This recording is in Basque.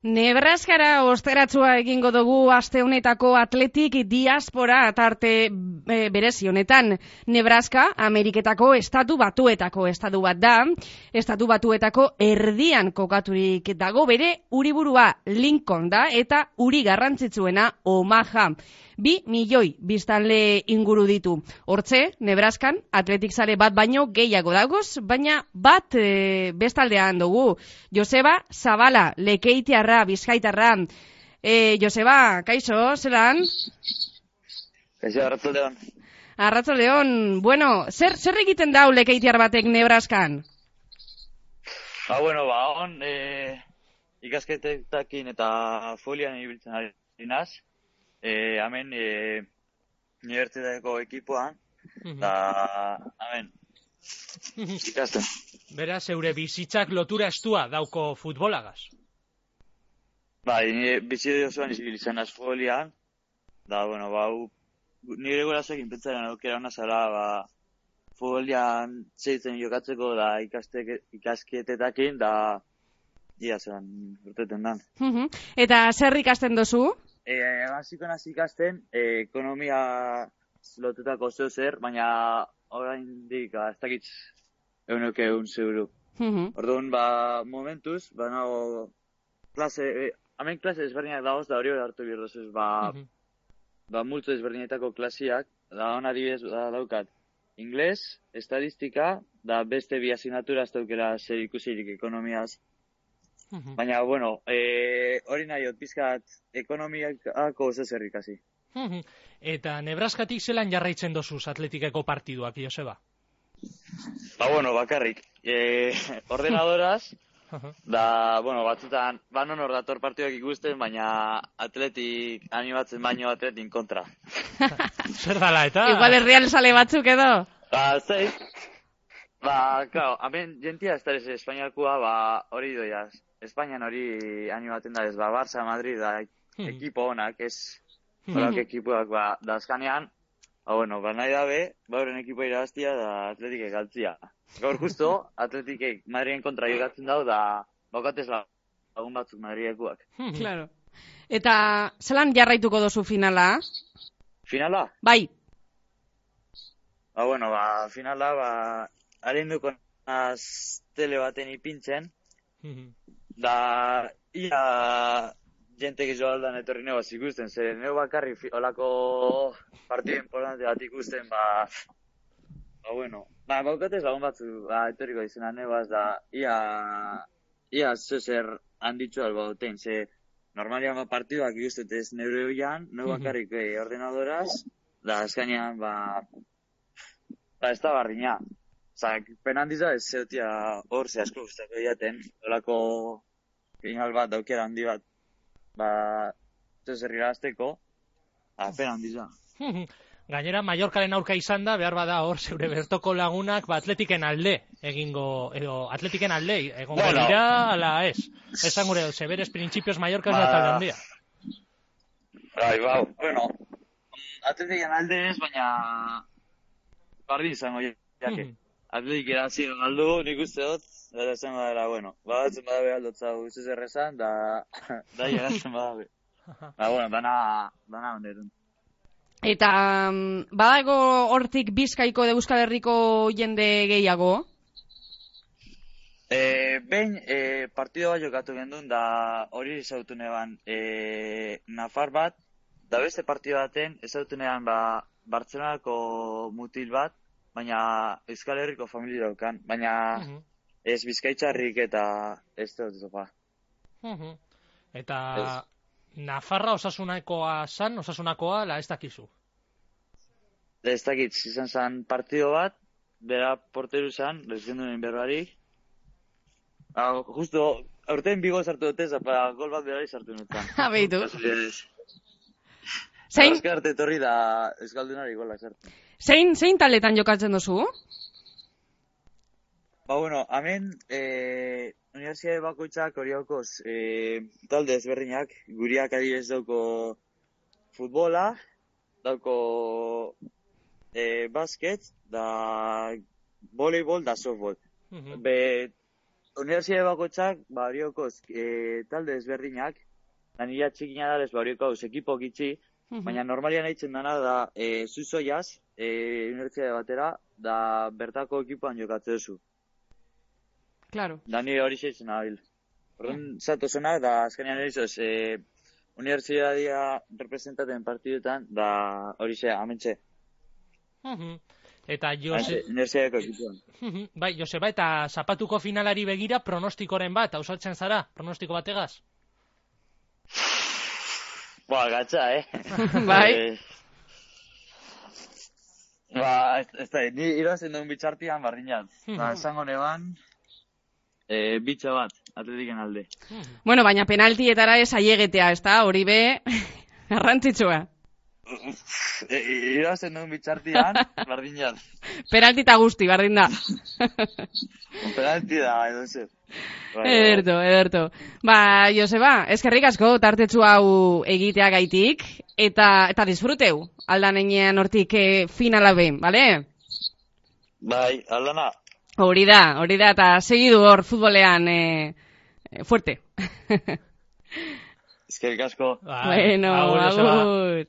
Nebraskara osteratzua egingo dugu aste honetako atletik diaspora tarte berezi honetan. Nebraska, Ameriketako estatu batuetako estatu bat da. Estatu batuetako erdian kokaturik dago, bere hiriburua Lincoln da eta hiri garrantzitsuena Omaha. 2 milioi biztanle inguru ditu. Hortze, Nebraskan atletik zale bat baino gehiago dagoz, baina bat bestaldean dugu. Joseba Zabala, Lekeitiarra, Bizkaitarra. Joseba, kaixo, zelan? Kaixo, Arratsaldeon. Arratsaldeon. Bueno, zer egiten dau Lekeitiar batek Nebraskan? On, ikasketetakin eta folian ibiltzen ari naz. Hemen unibertsitateko ekipoan, da hemen ikasten. Beraz, zeure bizitzak lotura estua dauko futbolagaz? Bai, nire bizitza osoan ibiltzen naz folian, da, nire gurasoekin pentsaren aukera hona zara, folian zeitzen jokatzeko da ikasketetakin, da ia zelan urteten dan. Eta zer ikasten dozu? Hasiko naz ikasten, ekonomia lotutako zer, baina oraindik ez dakit euneuke euro. Orduan, momentuz, nago hemen klase ezberdinak dagoz, da hori hartu birdozuz, multzo ezberdinetako klasiak, da hon adibidez daukat ingles, estadistika, da beste bi asignatura ez daukera zer ikusirik ekonomiaz. Baina, hori nahiot, pizkat ekonomiako zer ikasi. Eta Nebraskatik zelan jarraitzen dozuz atletikeko partiduak, Joseba? Bakarrik. Ordenadoraz, da, batzutan, non hor dator partiduak ikusten, baina atletik animatzen baino atletin kontra. Zer dala, eta? Igual herrial sale batzuk edo? Zei. Hemen jentia ez da ez espainiakua, hori doiaz. Espainian hori animaten da ez, Barça, Madrid, da ekipo honak, ez horak ekipoak, da azkanean, nahi dabe, horren ekipo irabaztia da atletikek galtzia. Gaur justo, atletikek Madriden kontra jokatzen dau, da baukatez lagun batzuk Madridekuak. Claro. Eta zelan jarraituko dozu finala? Finala? Bai. Finala, arinduko naz tele baten ipintzen, da ia jentek izo aldan etorri negaz ikusten, zer nego bakarri olako partidu importante bat ikusten, baukatez lagun batzu etorriko izena negaz, da ia zezer handitzu alba duten, ze normalian partiduak ikustet ez neure hoian, nego bakarrik ordenadoraz, da azkanean, ez da barriña. Penan diza ez zeutia hor ze asko guztako diaten, olako final bat, daukera handi bat, zezer irabazteko, penan diza. Gainera, Mallorcaren aurka izan da, behar bada hor zeure bertoko lagunak, atletiken alde egingo, edo atletiken alde egongo dira, ala ez. Esan gure, zeberes printzipioz Mallorca ez da talde handia. Atletiken alde ez, baina bardin izango jake. Atletik erazio galdu, nik uste dut, eta esango dara, batzen badabe aldotza guztiz errezan, da jeratzen badabe. Dana onerun. Eta badago hortik Bizkaiko edo Euskal Herriko jende gehiago? Behin partido bat jokatu gendun, da hori ezautu neban Nafar bat, da beste partido baten ezautu neban Bartzelonako mutil bat, baina Euskal Herriko familia daukan, baina ez Bizkaitzarrik eta ez dut zopa. Eta Nafarra osasunakoa la ez dakizu? Ez dakit, izan zen partido bat, bera porteru zen, lehendu nien berbarik. Justo, aurten bigo sartu dutez, gol bat berari sartu nutzen. Beitu. Azkarte etorri da euskaldunari gola sartu. Zein taletan jokatzen dozu? Hemen universitate bakoitzak hori haukoz talde ezberdinak, guriak adibidez dauko futbola, dauko basket, da voleibol, da softball. Unibertsitate bakoitzak, bariokoz, talde ezberdinak, da nila txikina da, bariokoz, ekipo gitxi, baina normalian eitzen dana da, zuzoiaz, unibertsitate batera, da bertako ekipoan jokatze duzu. Claro. Da ni hori zeitzen abil. Horren zato zenak, da azkenean erizoz, unibertsitatea representaten partiduetan, da hori ze, amentxe. Eta Unibertsitateako ekipoan. Bai, Joseba, eta zapatuko finalari begira pronostikoren bat, hausatzen zara, pronostiko bategaz? Gatza, Bai. Ez da, ni irazen duen bitxartian bardinat. Esango neban, bitxa bat, Atletiken alde. Bueno, baina penaltietara ez aiegetea, ez da, hori be, garrantzitsua. Irazen duen bitxartian, bardinat. Penaltita guzti, bardin da. Penalti da, edo zer. Ederto. Joseba, eskerrik asko tartetsu hau egitea gaitik, eta disfruteu, aldan enean hortik finala behin, bale? Bai, aldana. Hori da, eta segidu hor futbolean fuerte. Eskerrik asko. Bueno, agur. Agur.